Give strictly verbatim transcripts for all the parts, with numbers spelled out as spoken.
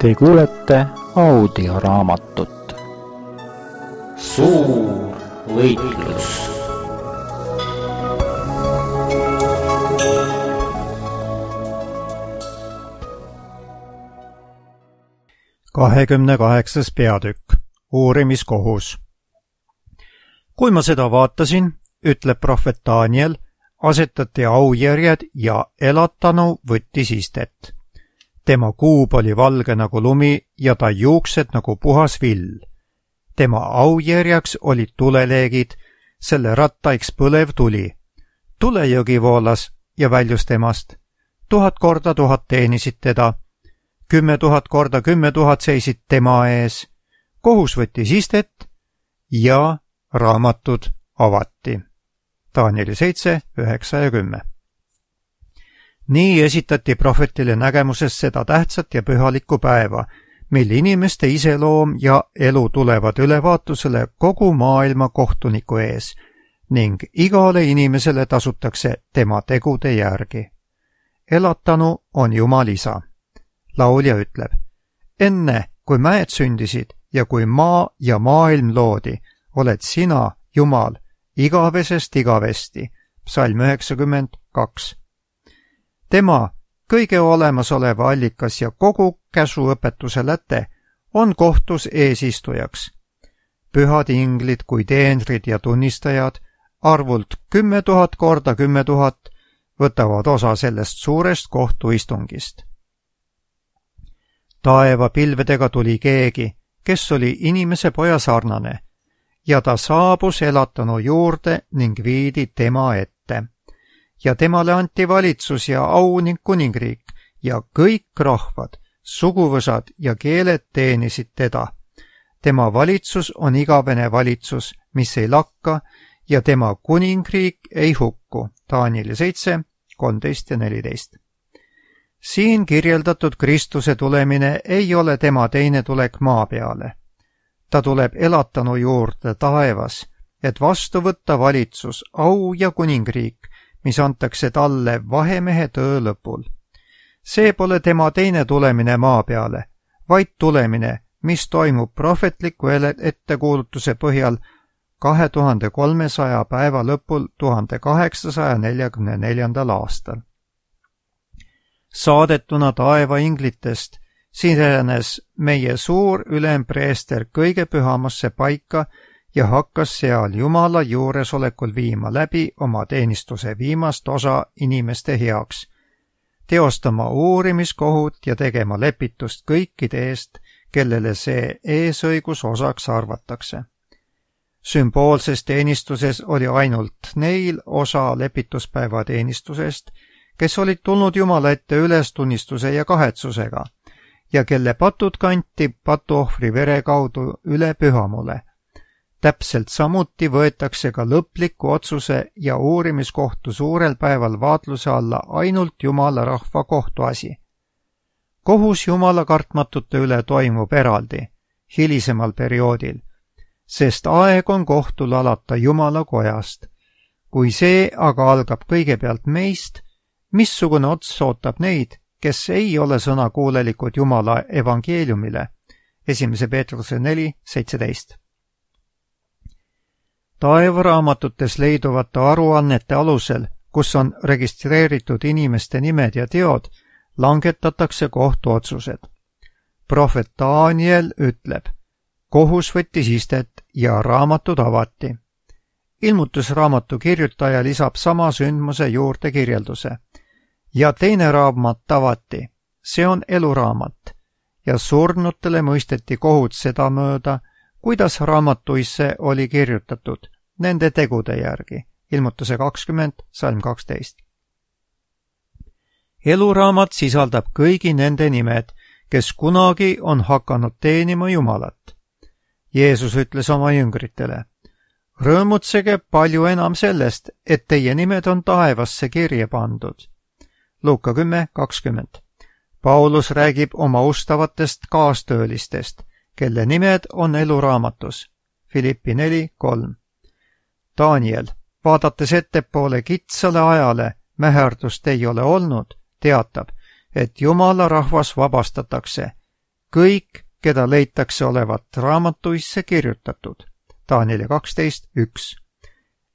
Te kuulete audioraamatut Suur võitlus. kahekümne kaheksas peatükk. Uurimiskohus. Kui ma seda vaatasin, ütleb prohvet Daniel, asetati aujärjed ja elatanu võttis istet. Tema kuub oli valge nagu lumi ja ta juuksed nagu puhas vill. Tema aujärjaks olid tuleleegid, selle rattaiks põlev tuli. Tulejõgi voolas ja väljus temast. Tuhat korda tuhat teenisid teda. Kümme tuhat korda kümme tuhat seisid tema ees. Kohus võttis istet ja raamatud avati. Danieli seitse, üheksa ja kümme. Nii esitati prohvetile nägemuses seda tähtsat ja pühalikku päeva, mil inimeste iseloom ja elu tulevad ülevaatusele kogu maailma kohtuniku ees ning igale inimesele tasutakse tema tegude järgi. Elatanu on Jumal isa. Laulja ütleb, enne kui mäed sündisid ja kui maa ja maailm loodi, oled sina, Jumal, igavesest igavesti. Psalm üheksakümmend kaks. Tema, kõige olemasoleva allikas ja kogu käsuõpetuse läte, on kohtus eesistujaks. Pühad inglid kui teenrid ja tunnistajad, arvult kümme tuhat korda kümme tuhat, võtavad osa sellest suurest kohtuistungist. Taeva pilvedega tuli keegi, kes oli inimese poja sarnane, ja ta saabus elatanu juurde ning viidi tema ette. Ja temale anti valitsus ja au ning kuningriik ja kõik rahvad, suguvõsad ja keeled teenisid teda. Tema valitsus on igavene valitsus, mis ei lakka, ja tema kuningriik ei hukku. Danieli seitse, kolmteist ja neliteist. Siin kirjeldatud Kristuse tulemine ei ole tema teine tulek maa peale. Ta tuleb elatanu juurde taevas, et vastu võtta valitsus, au ja kuningriik, mis antakse talle vahemehe töö lõpul. See pole tema teine tulemine maa peale, vaid tulemine, mis toimub prohvetliku ettekuulutuse põhjal kahe tuhande kolmesaja päeva lõpul tuhande kaheksasaja neljakümne neljandal aastal. Saadetuna taeva inglitest sisenes meie suur ülempreester kõige pühamasse paika ja hakkas seal Jumala juuresolekul viima läbi oma teenistuse viimast osa inimeste heaks, teostama uurimiskohut ja tegema lepitust kõikide eest, kellele see eesõigus osaks arvatakse. Sümboolses teenistuses oli ainult neil osa lepituspäeva teenistusest, kes olid tulnud Jumala ette ülestunnistuse ja kahetsusega ja kelle patud kanti patuohvri vere kaudu üle pühamule. Täpselt samuti võetakse ka lõpliku otsuse ja uurimiskohtu suurel päeval vaatluse alla ainult Jumala rahva kohtuasi. Kohus Jumala kartmatute üle toimub eraldi, hilisemal perioodil, sest aeg on kohtul alata Jumala kojast. Kui see aga algab kõigepealt meist, missugune ots ootab neid, kes ei ole sõnakuulelikud Jumala evangeeliumile? esimese Peetruse neli, seitseteist. Taevaraamatutes leiduvate aruannete alusel, kus on registreeritud inimeste nimed ja teod, langetatakse kohtuotsused. Prohvet Daniel ütleb, kohus võttis istet ja raamatud avati. Ilmutusraamatu kirjutaja lisab sama sündmuse juurde kirjelduse. Ja teine raamat avati, see on eluraamat, ja surnutele mõisteti kohut sedamööda, kuidas raamatuisse oli kirjutatud, nende tegude järgi. Ilmutuse kakskümmend, salm kaksteist. Eluraamat sisaldab kõigi nende nimed, kes kunagi on hakanud teenima Jumalat. Jeesus ütles oma jüngritele, rõõmutsege palju enam sellest, et teie nimed on taevasse kirja pandud. Luuka kümme, kakskümmend. Paulus räägib oma ustavatest kaastöölistest, kelle nimed on eluraamatus. Filippi neli, kolm. Daniel, vaadates ettepoole kitsale ajale, mäherdust ei ole olnud, teatab, et Jumala rahvas vabastatakse, kõik, keda leitakse olevat raamatuisse kirjutatud. Danieli kaksteist üks.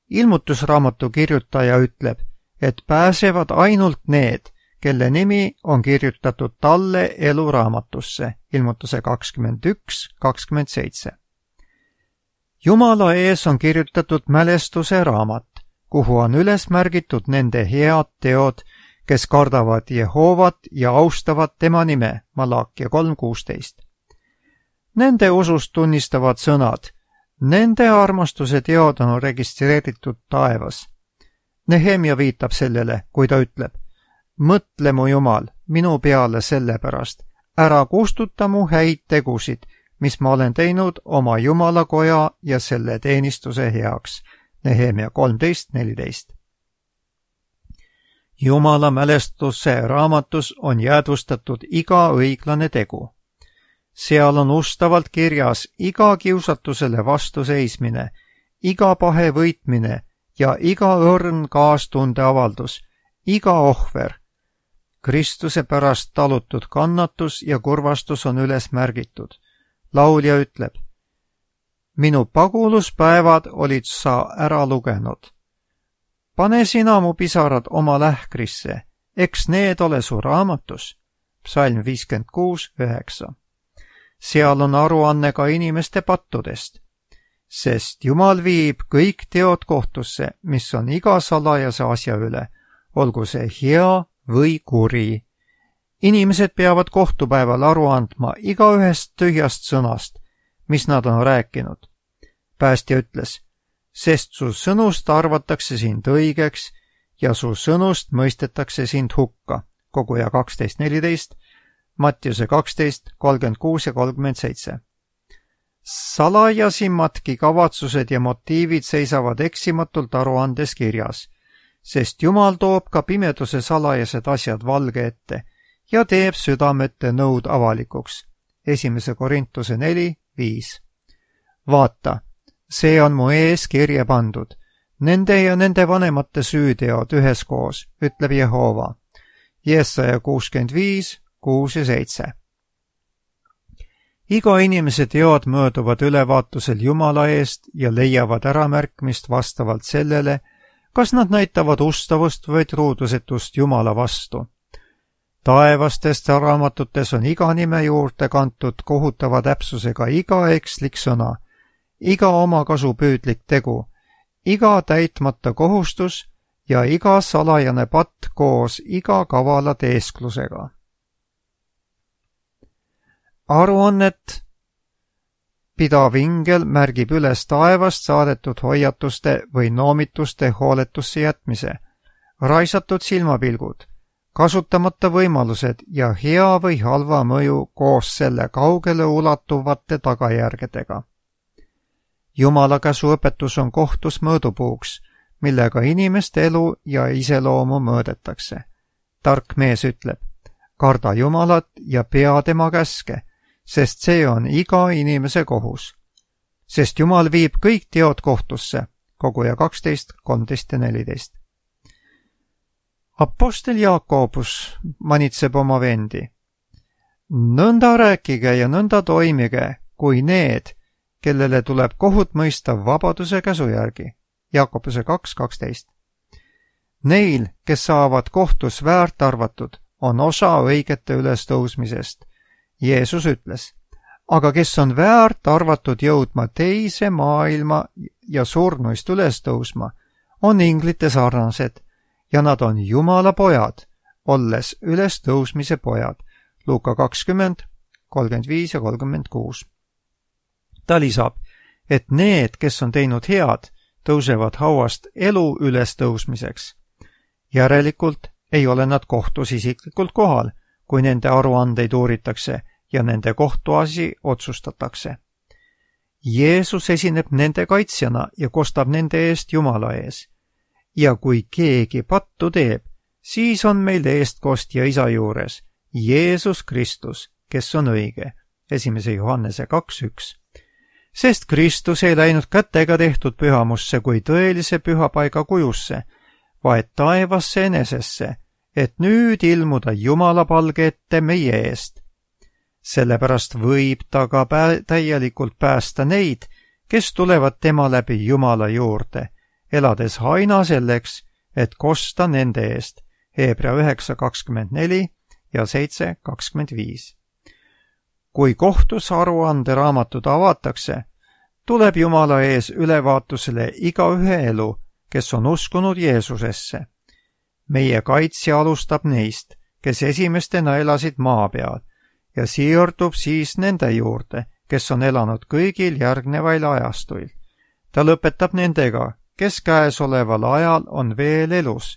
Ilmutusraamatu kirjutaja ütleb, et pääsevad ainult need, kelle nimi on kirjutatud talle eluraamatusse. Ilmutuse kakskümmend üks kakskümmend seitse. Jumala ees on kirjutatud mälestuse raamat, kuhu on üles märgitud nende head teod, kes kardavad Jehovat ja austavad tema nime. Malakia kolm kuusteist. Nende usust tunnistavad sõnad. Nende armastuse teod on registreeritud taevas. Nehemia viitab sellele, kui ta ütleb, mõtle mu Jumal minu peale sellepärast, ära kustuta mu häid tegusid, mis ma olen teinud oma Jumalakoja ja selle teenistuse heaks. Nehemia kolmteist neliteist. Jumala mälestuse raamatus on jäädvustatud iga õiglane tegu. Seal on ustavalt kirjas iga kiusatusele vastu seismine, iga pahe võitmine ja iga õrn kaastunde avaldus, iga ohver. Kristuse pärast talutud kannatus ja kurvastus on üles märgitud. Laulja ütleb, minu paguluspäevad olid sa ära lugenud. Pane sina mu pisarad oma lähkrisse, eks need ole su raamatus. Psalm viiskümmend kuus üheksa. Seal on aruanne ka inimeste pattudest, sest Jumal viib kõik teod kohtusse, mis on iga salajase asja üle, olgu see hea või kuri. Inimesed peavad kohtupäeval aru andma igaühest tühjast sõnast, mis nad on rääkinud. Päästja ütles, sest su sõnust arvatakse sind õigeks ja su sõnust mõistetakse sind hukka. Koguja kaksteist neliteist, Mattiuse kaksteist kolmkümmend kuus ja kolmkümmend seitse. Salajasimmadki kavatsused ja motiivid seisavad eksimatult aruandes kirjas, sest Jumal toob ka pimeduse salajased asjad valge ette ja teeb südamete nõud avalikuks. Esimese Korintuse neli viis. Vaata, see on mu ees kirja pandud, nende ja nende vanemate süüteod üheskoos, ütleb Jehova. Jesaja kuuskümmend viis kuus ja seitse. Iga inimese teod mööduvad ülevaatusel Jumala eest ja leiavad äramärkmist vastavalt sellele, kas nad näitavad ustavust või truudusetust Jumala vastu. Taevastest raamatutes on iga nime juurde kantud kohutava täpsusega iga ekslik sõna, iga omakasupüüdlik tegu, iga täitmata kohustus ja iga salajane patt koos iga kavala teesklusega. Aruannet pidav ingel märgib üles taevast saadetud hoiatuste või noomituste hooletusse jätmise, raisatud silmapilgud, kasutamata võimalused ja hea või halva mõju koos selle kaugele ulatuvate tagajärgedega. Jumala käsuõpetus on kohtus mõõdupuuks, millega inimeste elu ja iseloomu mõõdetakse. Tark mees ütleb, karda Jumalat ja pea tema käske, sest see on iga inimese kohus. Sest Jumal viib kõik teod kohtusse, Koguja kaksteist kolmteist ja neliteist. Apostel Jaakobus manitseb oma vendi. Nõnda rääkige ja nõnda toimige, kui need, kellele tuleb kohut mõista vabaduse käsu järgi. Jaakobuse kaks kaksteist. Neil, kes saavad kohtus väärt arvatud, on osa õigete ülestõusmisest. Jeesus ütles, aga kes on väärt arvatud jõudma teise maailma ja surnuist üles tõusma, on inglite sarnased ja nad on Jumala pojad, olles ülestõusmise pojad. Luuka kakskümmend, kolmkümmend viis ja kolmkümmend kuus. Ta lisab, et need, kes on teinud head, tõusevad hauast elu ülestõusmiseks. Järelikult ei ole nad kohtus isiklikult kohal, kui nende aruandeid uuritakse ja nende kohtuasi otsustatakse. Jeesus esineb nende kaitsjana ja kostab nende eest Jumala ees. Ja kui keegi pattu teeb, siis on meil eestkostja Isa juures, Jeesus Kristus, kes on õige. Esimese Johannese kaks üks. Sest Kristus ei läinud kätega tehtud pühamusse kui tõelise pühapaiga kujusse, vaid taevasse enesesse, et nüüd ilmuda Jumala palge ette meie eest. sellepärast võib ta ka pää täielikult päästa neid, kes tulevad tema läbi Jumala juurde, elades aina selleks, et kosta nende eest. Hebra üheksa kakskümmend neli ja seitse kakskümmend viis. Kui kohtus aruande raamatud avatakse, tuleb Jumala ees ülevaatusele igaühe elu, kes on uskunud Jeesusesse. Meie kaitsja alustab neist, kes esimestena elasid maa peal, ja siirdub siis nende juurde, kes on elanud kõigil järgnevail ajastuil. Ta lõpetab nendega, kes käesoleval ajal on veel elus.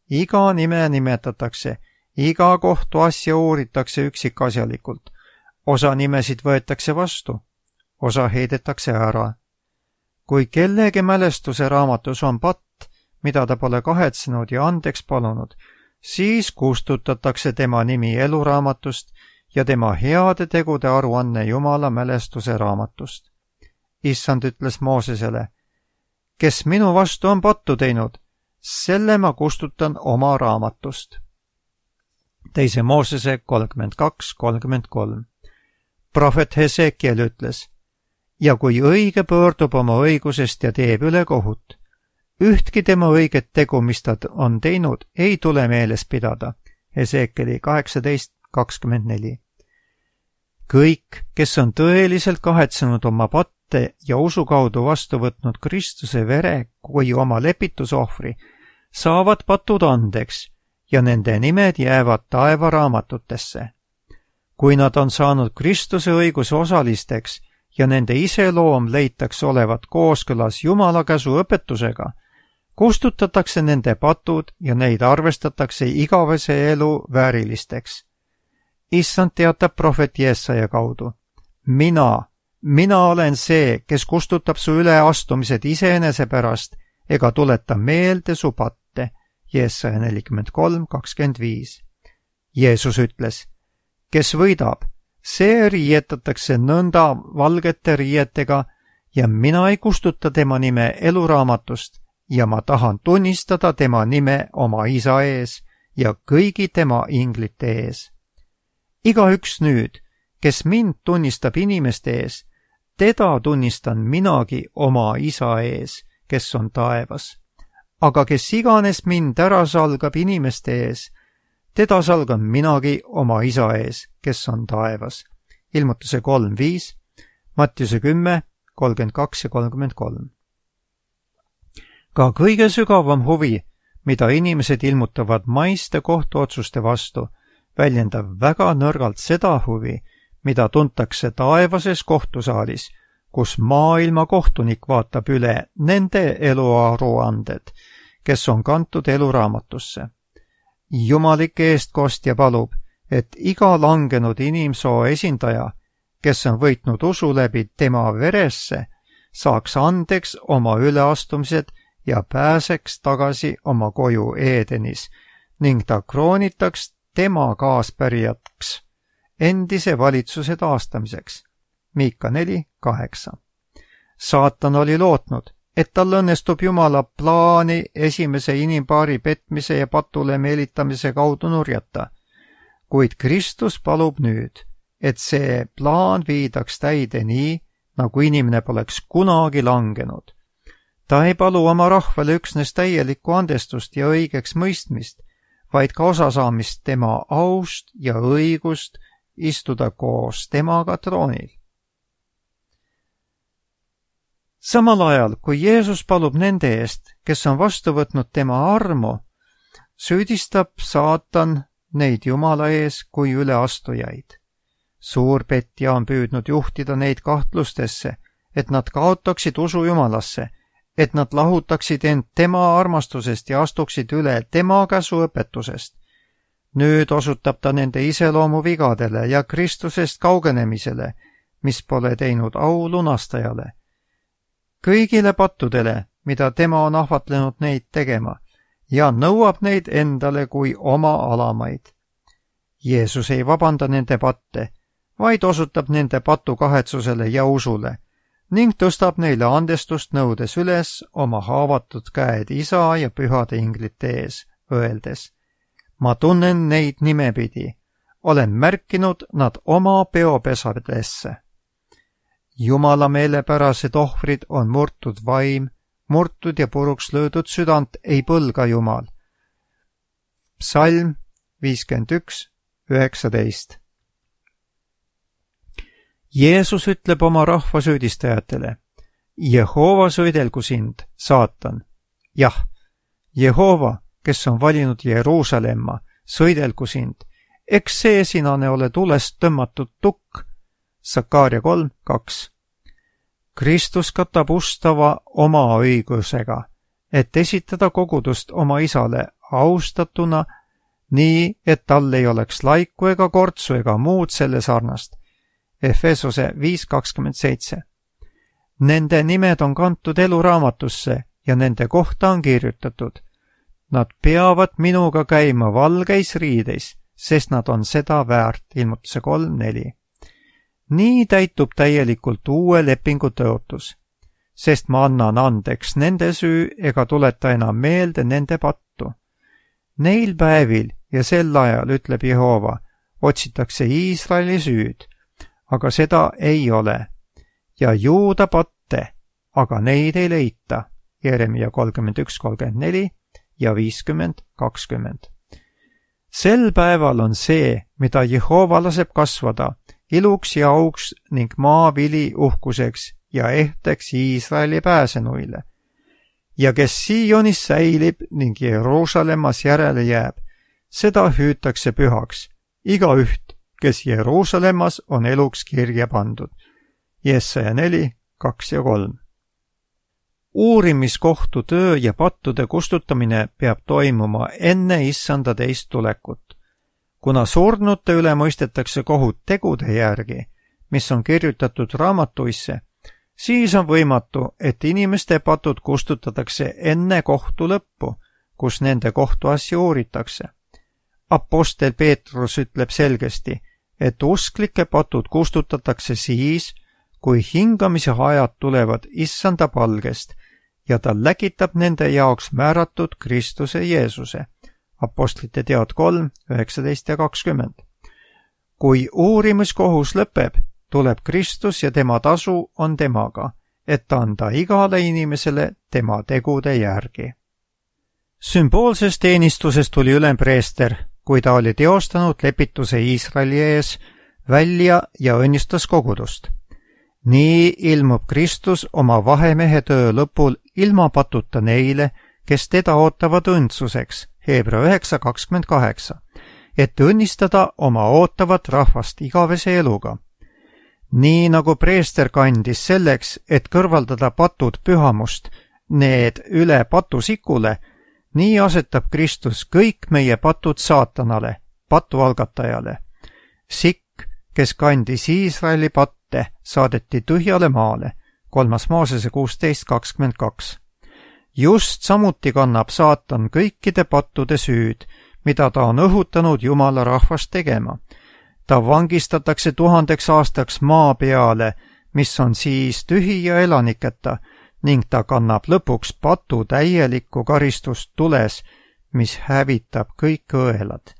Iga nime nimetatakse, iga kohtuasja uuritakse üksikasjalikult. Osa nimesid võetakse vastu, osa heidetakse ära. Kui kellegi mälestuse raamatus on patt, mida ta pole kahetsenud ja andeks palunud, siis kustutatakse tema nimi eluraamatust ja tema heade tegude aruanne Jumala mälestuse raamatust. Issand ütles Moosesele, kes minu vastu on pattu teinud, selle ma kustutan oma raamatust. Teise Moosese kolmkümmend kaks kolmkümmend kolm. Prohvet Hesekiel ütles, ja kui õige pöördub oma õigusest ja teeb ülekohut, ühtki tema õiget tegu, mis ta on teinud, ei tule meeles pidada. Hesekieli kaheksateist kakskümmend neli. Kõik, kes on tõeliselt kahetsenud oma patte ja usu kaudu vastu võtnud Kristuse vere kui oma lepitusohvri, saavad patud andeks ja nende nimed jäävad taevaraamatutesse. Kui nad on saanud Kristuse õiguse osalisteks ja nende iseloom leitakse olevat kooskõlas Jumala käsu õpetusega, kustutatakse nende patud ja neid arvestatakse igavese elu väärilisteks. Issand teatab prohvet Jesaja kaudu. Mina, mina olen see, kes kustutab su üleastumised iseenese pärast ega tuleta meelde su patte. Jesaja nelikümmend kolm kakskümmend viis. Jeesus ütles, kes võidab, see riietatakse nõnda valgete riietega ja mina ei kustuta tema nime eluraamatust ja ma tahan tunnistada tema nime oma isa ees ja kõigi tema inglite ees. Igaüks nüüd, kes mind tunnistab inimeste ees, teda tunnistan minagi oma isa ees, kes on taevas. Aga kes iganes mind ära salgab inimeste ees, teda salgan minagi oma isa ees, kes on taevas. Ilmutuse kolm viis, Mattiuse kümme kolmkümmend kaks ja kolmkümmend kolm. Ka kõige sügavam huvi, mida inimesed ilmutavad maiste kohtuotsuste vastu, väljendab väga nõrgalt seda huvi, mida tuntakse taevases kohtusaalis, kus maailma kohtunik vaatab üle nende eluaruanded, kes on kantud eluraamatusse. Jumalik eestkostja palub, et iga langenud inimsoo esindaja, kes on võitnud usu läbi tema veresse, saaks andeks oma üleastumised ja pääseks tagasi oma koju Eedenis ning ta kroonitaks tema kaaspärijaks endise valitsuse taastamiseks. Miika neli kaheksa. Saatan oli lootnud, et tal õnnestub Jumala plaani esimese inimpaari petmise ja patule meelitamise kaudu nurjata, kuid Kristus palub nüüd, et see plaan viidaks täide nii, nagu inimene poleks kunagi langenud. Ta ei palu oma rahvale üksnes täielikku andestust ja õigeks mõistmist, vaid ka osasaamist tema aust ja õigust istuda koos temaga troonil. Samal ajal, kui Jeesus palub nende eest, kes on vastu võtnud tema armu, süüdistab saatan neid Jumala ees kui üleastujaid. Suur petja on püüdnud juhtida neid kahtlustesse, et nad kaotaksid usu Jumalasse, et nad lahutaksid end tema armastusest ja astuksid üle tema käsu õpetusest. Nüüd osutab ta nende iseloomu vigadele ja Kristusest kaugenemisele, mis pole teinud au lunastajale. Kõigile pattudele, mida tema on ahvatlenud neid tegema, ja nõuab neid endale kui oma alamaid. Jeesus ei vabanda nende patte, vaid osutab nende patu kahetsusele ja usule ning tõstab neile andestust nõudes üles oma haavatud käed isa ja pühade inglite ees, öeldes, ma tunnen neid nimepidi, olen märkinud nad oma peopesadesse. Jumala meelepärased ohvrid on murtud vaim, murtud ja puruks löödud südant ei põlga Jumal. Psalm viiskümmend üks, üheksateist. Jeesus ütleb oma rahva süüdistajatele: Jehova sõidelgu sind, saatan. Jah, Jehova, kes on valinud Jeruusalemma, sõidelgu sind. Eks see sinane ole tulest tõmmatud tukk. Sakaaria kolm, kaks. Kristus katab ustava oma õigusega, et esitada kogudust oma isale austatuna, nii et tal ei oleks laiku ega kortsu ega muud selle sarnast. Efesose viis kakskümmend seitse. Nende nimed on kantud eluraamatusse ja nende kohta on kirjutatud: nad peavad minuga käima valgeis riideis, sest nad on seda väärt. Ilmutuse kolm neli. Nii täitub täielikult uue lepingu tõotus, sest ma annan andeks nende süü ega tuleta enam meelde nende pattu. Neil päevil ja sel ajal, ütleb Jehova, otsitakse Iisraeli süüd, aga seda ei ole, ja Juuda patte, aga neid ei leita. Jeremia kolmkümmend üks, kolmkümmend neli ja viiskümmend, kakskümmend. Sel päeval on see, mida Jehova laseb kasvada, iluks ja auks ning maavili uhkuseks ja ehteks Iisraeli pääsenuile. Ja kes Sionis säilib ning Jeruusalemmas järele jääb, seda hüütakse pühaks, igaüht, kes Jeruusalemmas on eluks kirja pandud. Jesaja neli, kaks ja kolm. Uurimiskohtu töö ja pattude kustutamine peab toimuma enne issanda teist tulekut. Kuna surnute üle mõistetakse kohut tegude järgi, mis on kirjutatud raamatuisse, siis on võimatu, et inimeste patud kustutatakse enne kohtu lõppu, kus nende kohtuasju uuritakse. Apostel Peetrus ütleb selgesti, et usklike patud kustutatakse siis, kui hingamise ajad tulevad issanda palgest ja ta läkitab nende jaoks määratud Kristuse Jeesuse. Apostlite teod kolm, üheksateist ja kakskümmend. Kui uurimiskohus lõpeb, tuleb Kristus ja tema tasu on temaga, et anda igale inimesele tema tegude järgi. Sümboolsest teenistusest tuli ülempreester, kui ta oli teostanud lepituse Iisraeli ees välja ja õnnistas kogudust. Nii ilmub Kristus oma vahemehe töö lõpul ilma patuta neile, kes teda ootavad õndsuseks, Heebra üheksa kakskümmend kaheksa, et õnnistada oma ootavat rahvast igavese eluga. Nii nagu preester kandis selleks, et kõrvaldada patud pühamust, need üle patusikule, nii asetab Kristus kõik meie patud saatanale, patu algatajale. Sikk, kes kandis Iisraeli patte, saadeti tühjale maale, kolmas Moosese kuusteist kakskümmend kaks. Just samuti kannab saatan kõikide pattude süüd, mida ta on õhutanud Jumala rahvast tegema. Ta vangistatakse tuhandeks aastaks maa peale, mis on siis tühi ja elaniketa, ning ta kannab lõpuks patu täielikku karistust tules, mis hävitab kõik õelad.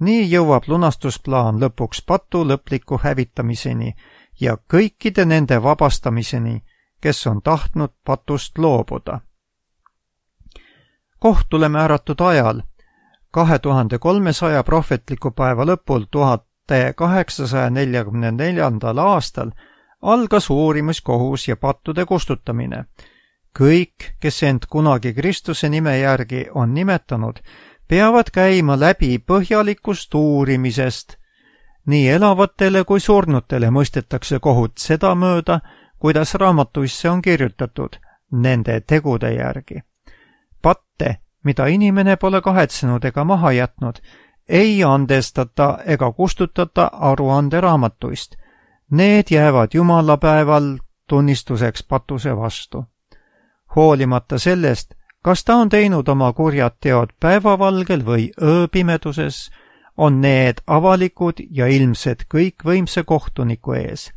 Nii jõuab lunastusplaan lõpuks patu lõpliku hävitamiseni ja kõikide nende vabastamiseni, kes on tahtnud patust loobuda. Kohtule määratud ajal, kahe tuhande kolmesaja prohvetliku päeva lõpul tuhat kaheksasaja neljakümne neljandal aastal algas uurimiskohus ja pattude kustutamine. Kõik, kes end kunagi Kristuse nime järgi on nimetanud, peavad käima läbi põhjalikust uurimisest. Nii elavatele kui surnutele mõistetakse kohut sedamööda, kuidas raamatuisse on kirjutatud, nende tegude järgi. Patte, mida inimene pole kahetsenud ega maha jätnud, ei andestata ega kustutata aruande raamatuist. Need jäävad Jumala päeval tunnistuseks patuse vastu. Hoolimata sellest, kas ta on teinud oma kurjad teod päevavalgel või ööpimeduses, on need avalikud ja ilmsed kõikvõimse kohtuniku ees.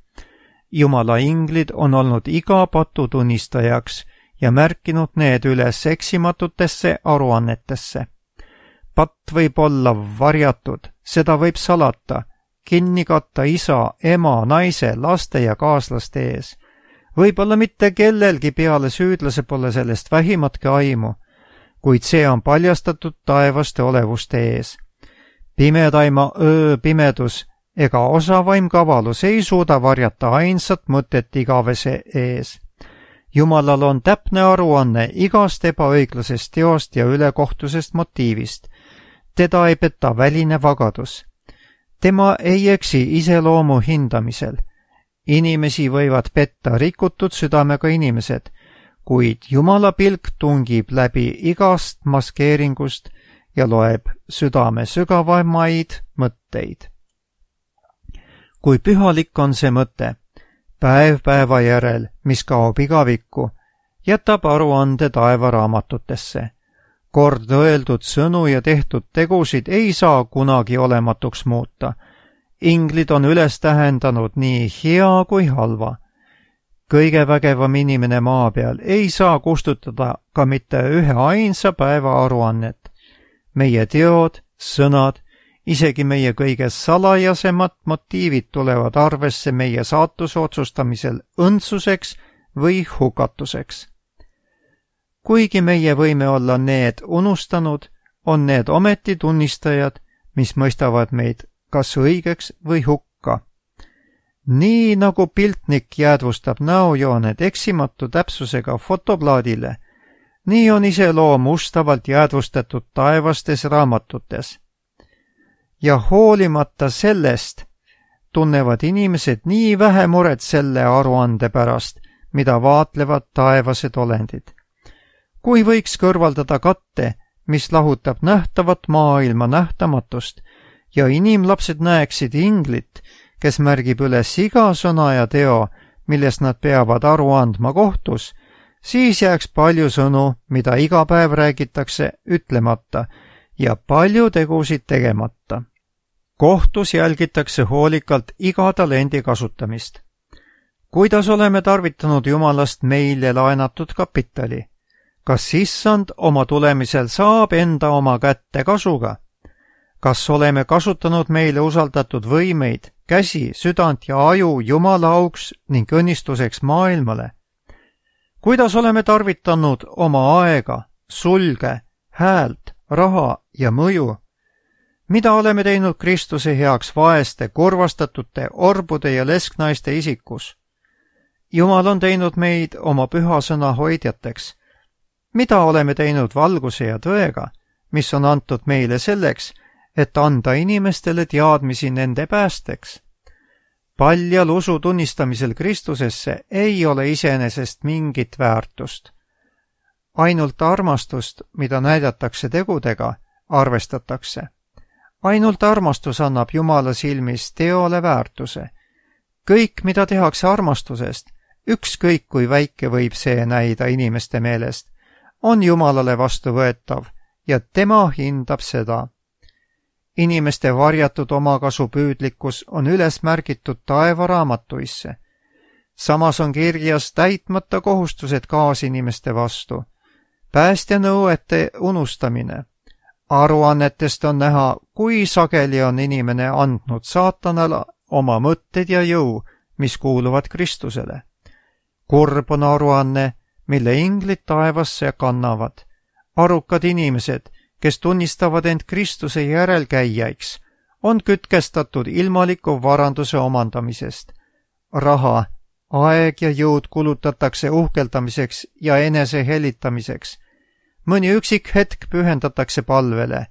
Jumala inglid on olnud iga patu tunnistajaks ja märkinud need üles eksimatutesse aruannetesse. Patt võib olla varjatud, seda võib salata, kinni katta isa, ema, naise, laste ja kaaslaste ees. Võib-olla mitte kellelgi peale süüdlase pole sellest vähimatki aimu, kuid see on paljastatud taevaste olevuste ees. Pimedaima öö pimedus ega osavaim kavalus ei suuda varjata ainsat mõtet igavese ees. Jumalal on täpne aruanne igast ebaõiglasest teost ja ülekohtusest motiivist. Teda ei peta väline vagadus. Tema ei eksi iseloomu hindamisel. Inimesi võivad petta rikutud südamega inimesed, kuid Jumala pilk tungib läbi igast maskeeringust ja loeb südame sügavamaid mõtteid. Kui pühalik on see mõte, päev päeva järel, mis kaob igavikku, jätab aruande taevaraamatutesse. Kord öeldud sõnu ja tehtud tegusid ei saa kunagi olematuks muuta. Inglid on üles tähendanud nii hea kui halva. Kõige vägevam inimene maa peal ei saa kustutada ka mitte ühe ainsa päeva aruannet. Meie teod, sõnad, isegi meie kõige salajasemad motiivid tulevad arvesse meie saatuse otsustamisel õndsuseks või hukatuseks. Kuigi meie võime olla need unustanud, on need ometi tunnistajad, mis mõistavad meid kas õigeks või hukka. Nii nagu piltnik jäädvustab näojooned eksimatu täpsusega fotoplaadile, nii on iseloom ustavalt jäädvustatud taevastes raamatutes. Ja hoolimata sellest tunnevad inimesed nii vähe muret selle aruande pärast, mida vaatlevad taevased olendid. Kui võiks kõrvaldada katte, mis lahutab nähtavat maailma nähtamatust, ja inimlapsed näeksid inglit, kes märgib üles iga sõna ja teo, millest nad peavad aru andma kohtus, siis jääks palju sõnu, mida iga päev räägitakse, ütlemata ja palju tegusid tegemata. Kohtus jälgitakse hoolikalt iga talendi kasutamist. Kuidas oleme tarvitanud Jumalast meile laenatud kapitali? Kas issand oma tulemisel saab enda oma kätte kasuga? Kas oleme kasutanud meile usaldatud võimeid, käsi, südant ja aju Jumala auks ning õnnistuseks maailmale? Kuidas oleme tarvitanud oma aega, sulge, häält, raha ja mõju? Mida oleme teinud Kristuse heaks vaeste, kurvastatute, orbude ja lesknaiste isikus? Jumal on teinud meid oma püha sõna hoidjateks. Mida oleme teinud valguse ja tõega, mis on antud meile selleks, et anda inimestele teadmisi nende päästeks? Paljal usu tunnistamisel Kristusesse ei ole iseenesest mingit väärtust. Ainult armastust, mida näidatakse tegudega, arvestatakse. Ainult armastus annab Jumala silmis teole väärtuse. Kõik, mida tehakse armastusest, ükskõik kui väike võib see näida inimeste meelest, on Jumalale vastuvõetav ja tema hindab seda. Inimeste varjatud omakasu püüdlikkus on üles märgitud taevaraamatuisse. Samas on kirjas täitmata kohustused kaasinimeste vastu. Päästja nõuete unustamine. Aruannetest on näha, kui sageli on inimene andnud saatanale oma mõtted ja jõu, mis kuuluvad Kristusele. Kurb on aruanne, mille inglid taevasse kannavad. Arukad inimesed, kes tunnistavad end Kristuse järelkäijaiks, on kütkestatud ilmaliku varanduse omandamisest. Raha, aeg ja jõud kulutatakse uhkeldamiseks ja enese helitamiseks. Mõni üksik hetk pühendatakse palvele,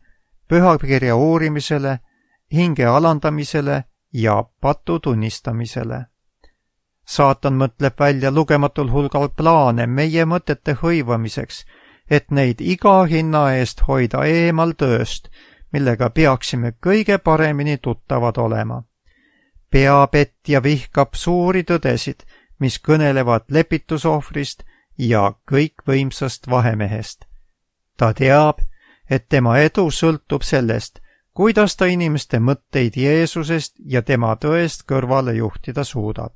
pühakirja uurimisele, hinge alandamisele ja patu tunnistamisele. Saatan mõtleb välja lugematul hulgal plaane meie mõtete hõivamiseks, et neid iga hinna eest hoida eemal tööst, millega peaksime kõige paremini tuttavad olema. Peapett ja vihkab suuri tõdesid, mis kõnelevad lepitusohvrist ja kõikvõimsast vahemehest. Ta teab, et tema edu sõltub sellest, kuidas ta inimeste mõtteid Jeesusest ja tema tõest kõrvale juhtida suudab.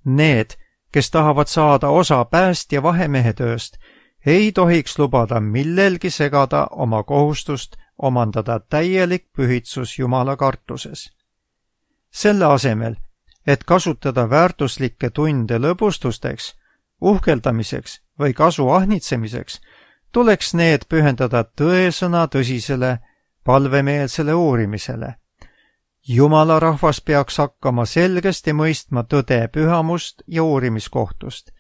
Need, kes tahavad saada osa päästja vahemehe tööst, ei tohiks lubada millelgi segada oma kohustust omandada täielik pühitsus Jumala kartuses. Selle asemel, et kasutada väärtuslikke tunde lõbustusteks, uhkeldamiseks või kasu ahnitsemiseks, tuleks need pühendada tõesõna tõsisele palvemeelsele uurimisele. Jumala rahvas peaks hakkama selgesti mõistma tõde pühamust ja uurimiskohtust.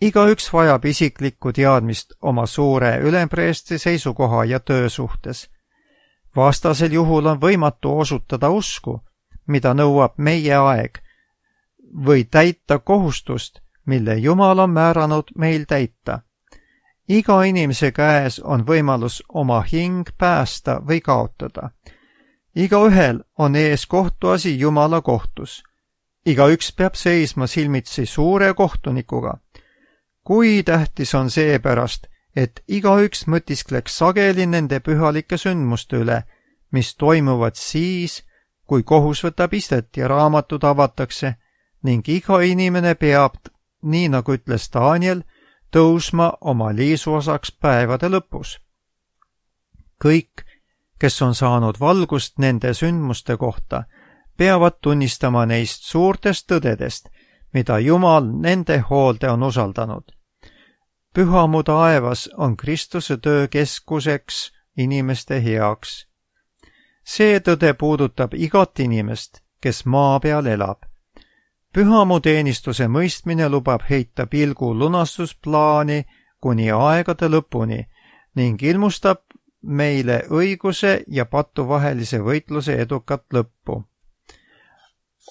Igaüks vajab isiklikku teadmist oma suure ülempreestri seisukoha ja töö suhtes. Vastasel juhul on võimatu osutada usku, mida nõuab meie aeg, või täita kohustust, mille Jumal on määranud meil täita. Iga inimese käes on võimalus oma hing päästa või kaotada. Igaühel on ees kohtuasi Jumala kohtus. Igaüks peab seisma silmitsi suure kohtunikuga. Kui tähtis on seepärast, et igaüks mõtiskleks sageli nende pühalike sündmuste üle, mis toimuvad siis, kui kohus võtab istet ja raamatud avatakse ning iga inimene peab, nii nagu ütles Daniel, tõusma oma liisuosaks päevade lõpus. Kõik, kes on saanud valgust nende sündmuste kohta, peavad tunnistama neist suurtest tõdedest, mida Jumal nende hoolde on usaldanud. Pühamu taevas on Kristuse töö keskuseks inimeste heaks. See tõde puudutab igat inimest, kes maa peal elab. Pühamu teenistuse mõistmine lubab heita pilgu lunastusplaani kuni aegade lõpuni ning ilmustab meile õiguse ja patu vahelise võitluse edukat lõppu.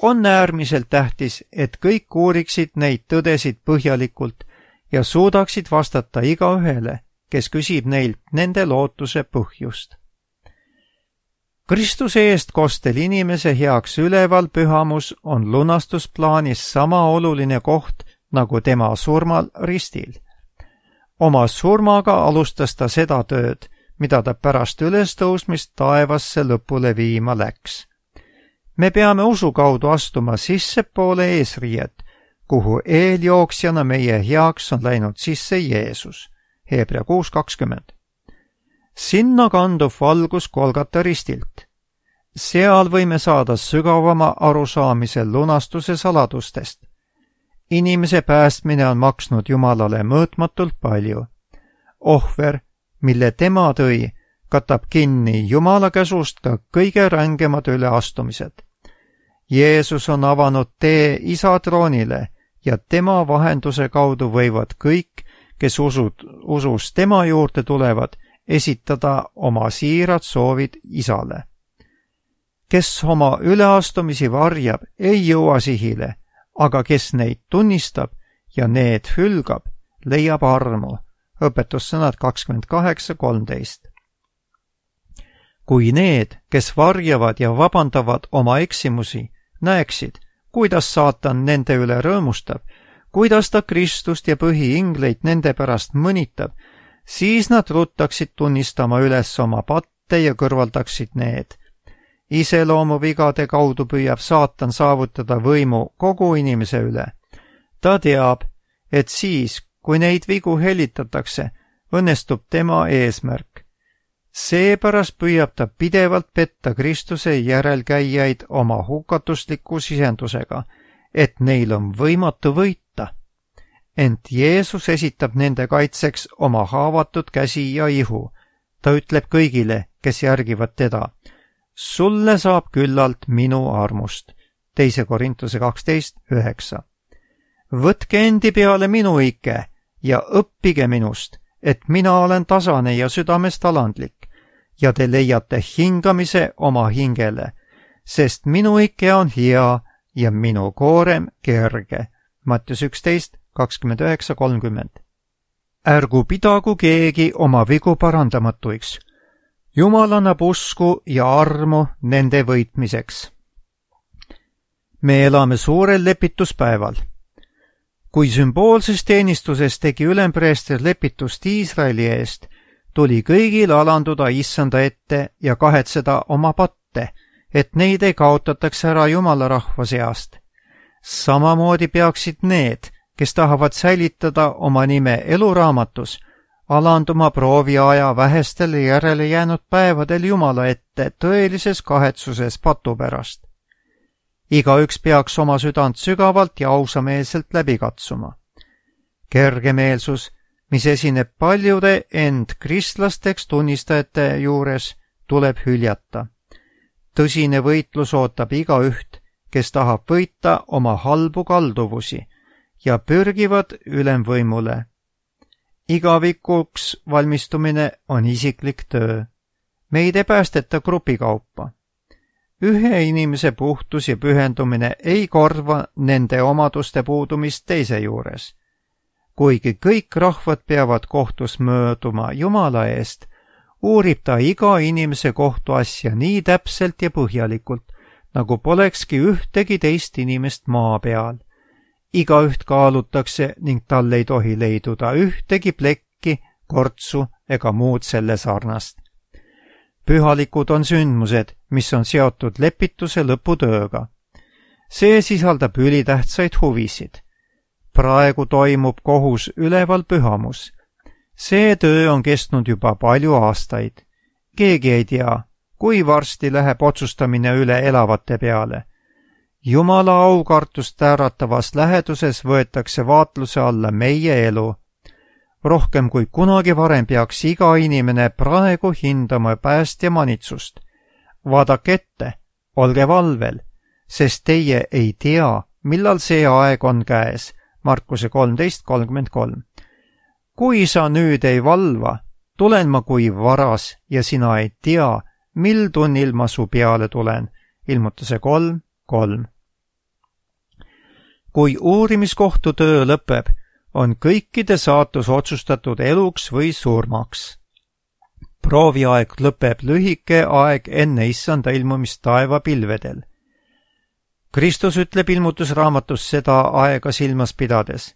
On äärmiselt tähtis, et kõik uuriksid neid tõdesid põhjalikult ja suudaksid vastata igaühele, kes küsib neilt nende lootuse põhjust. Kristuse eestkostel inimese heaks üleval pühamus on lunastusplaanis sama oluline koht nagu tema surmal ristil. Oma surmaga alustas ta seda tööd, mida ta pärast ülestõusmist taevasse lõpule viima läks. Me peame usu kaudu astuma sissepoole eesriiet, kuhu eeljooksjana meie heaks on läinud sisse Jeesus. Hebra kuus kakskümmend. Sinna kandub valgus Golgata ristilt. Seal võime saada sügavama arusaamise lunastuse saladustest. Inimese päästmine on maksnud Jumalale mõõtmatult palju. Ohver, mille tema tõi, katab kinni Jumala käsust ka kõige rängemad üleastumised. Jeesus on avanud tee Isa troonile ja tema vahenduse kaudu võivad kõik, kes usud, usus tema juurde tulevad, esitada oma siirad soovid Isale. Kes oma üleastumisi varjab, ei jõua sihile, aga kes neid tunnistab ja need hülgab, leiab armu. Õpetussõnad kakskümmend kaheksa kolmteist. Kui need, kes varjavad ja vabandavad oma eksimusi, näeksid, kuidas saatan nende üle rõõmustab, kuidas ta Kristust ja põhiingleid nende pärast mõnitab, siis nad ruttaksid tunnistama üles oma patte ja kõrvaldaksid need. Iseloomuvigade kaudu püüab saatan saavutada võimu kogu inimese üle. Ta teab, et siis, kui neid vigu helitatakse, õnnestub tema eesmärk. Seepärast püüab ta pidevalt petta Kristuse järelkäijaid oma hukatusliku sisendusega, et neil on võimatu võita. Ent Jeesus esitab nende kaitseks oma haavatud käsi ja ihu. Ta ütleb kõigile, kes järgivad teda, sulle saab küllalt minu armust. teise Korintuse kaksteist üheksa. Võtke endi peale minu ike ja õppige minust, et mina olen tasane ja südamest alandlik ja te leiate hingamise oma hingele, sest minu ike on hea ja minu koorem kerge. Mattius üksteist kakskümmend üheksa kolmkümmend. Ärgu pidagu keegi oma vigu parandamatuiks. Jumal annab usku ja armu nende võitmiseks. Me elame suurel lepituspäeval. Kui sümboolses teenistuses tegi ülempreester lepitust Iisraeli eest, tuli kõigil alanduda issanda ette ja kahetseda oma patte, et neid ei kaotataks ära Jumala rahva seast. Samamoodi peaksid need, kes tahavad säilitada oma nime eluraamatus, alanduma prooviaja vähestel järele jäänud päevadel Jumala ette tõelises kahetsuses patu pärast. Igaüks peaks oma südant sügavalt ja ausameelselt läbi katsuma. Kergemeelsus, mis esineb paljude end kristlasteks tunnistajate juures, tuleb hüljata. Tõsine võitlus ootab igaüht, kes tahab võita oma halbu kalduvusi ja pürgivad ülemvõimule. Igavikuks valmistumine on isiklik töö. Meid ei päästeta grupikaupa. Ühe inimese puhtus ja pühendumine ei korva nende omaduste puudumist teise juures. Kuigi kõik rahvad peavad kohtus mööduma Jumala eest, uurib ta iga inimese kohtuasja nii täpselt ja põhjalikult, nagu polekski ühtegi teist inimest maa peal. Igaüht kaalutakse ning tal ei tohi leiduda ühtegi plekki, kortsu ega muud selle sarnast. Pühalikud on sündmused, mis on seotud lepituse lõputööga. See sisaldab ülitähtsaid huvisid. Praegu toimub kohus üleval pühamus. See töö on kestnud juba palju aastaid. Keegi ei tea, kui varsti läheb otsustamine üle elavate peale. Jumala aukartust äratavas läheduses võetakse vaatluse alla meie elu. Rohkem kui kunagi varem peaks iga inimene praegu hindama päästja manitsust. Vaadake ette, olge valvel, sest teie ei tea, millal see aeg on käes. Markuse kolmteist kolmkümmend kolm. Kui sa nüüd ei valva, tulen ma kui varas ja sina ei tea, mil tunnil ma su peale tulen. Ilmutuse kolm kolm. Kui uurimiskohtu töö lõpeb, on kõikide saatus otsustatud eluks või surmaks. Prooviaeg lõpeb lühike aeg enne issanda ilmumist taevapilvedel. Kristus ütleb ilmutusraamatus seda aega silmas pidades.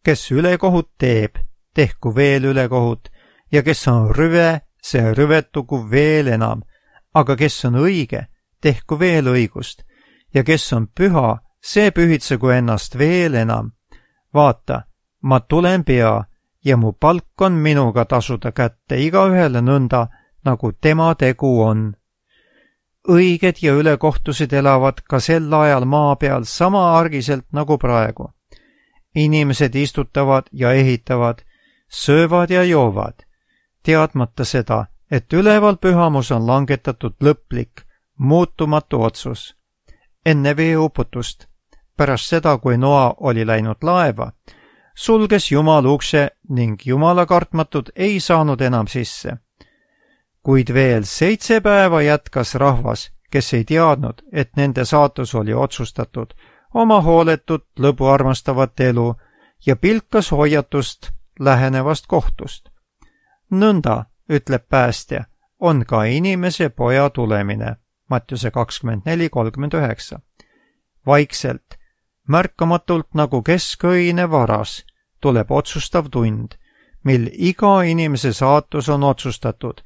Kes ülekohut teeb, tehku veel ülekohut, ja kes on rüve, see rüvetugu veel enam, aga kes on õige, tehku veel õigust, ja kes on püha, see pühitsegu ennast veel enam. Vaata, ma tulen pea ja mu palk on minuga tasuda kätte igaühele nõnda, nagu tema tegu on. Õiged ja ülekohtused elavad ka sel ajal maa peal sama argiselt nagu praegu. Inimesed istutavad ja ehitavad, söövad ja joovad, teadmata seda, et üleval pühamus on langetatud lõplik, muutumatu otsus. Enne veeuputust, pärast seda, kui Noa oli läinud laeva, sulges Jumal ukse ning Jumala kartmatud ei saanud enam sisse. Kuid veel seitse päeva jätkas rahvas, kes ei teadnud, et nende saatus oli otsustatud, oma hooletut lõbu armastavat elu ja pilkas hoiatust lähenevast kohtust. Nõnda, ütleb päästja, on ka inimese poja tulemine. Mattiuse kakskümmend neli kolmkümmend üheksa. Vaikselt, märkamatult nagu keskõine varas, tuleb otsustav tund, mil iga inimese saatus on otsustatud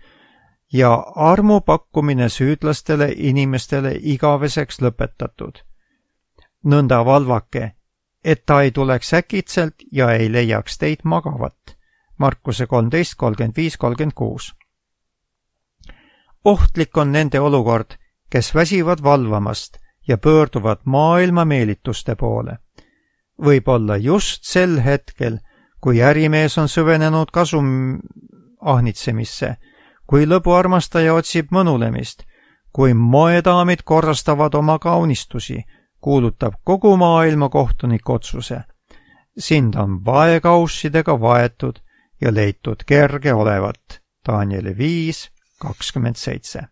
ja armu pakkumine süüdlastele inimestele igaveseks lõpetatud. Nõnda valvake, et ta ei tuleks äkitselt ja ei leiaks teid magavat. Markuse kolmteist kolmkümmend viis kolmkümmend kuus. Ohtlik on nende olukord, kes väsivad valvamast ja pöörduvad maailma meelituste poole. Võib olla just sel hetkel, kui ärimees on süvenenud kasum ahnitsemisse, kui lõbuarmastaja otsib mõnulemist, kui moedaamid korrastavad oma kaunistusi, kuulutab kogu maailma kohtunik otsuse. Sind on vaekaussidega vaetud ja leitud kerge olevat. Danieli viis kakskümmend seitse.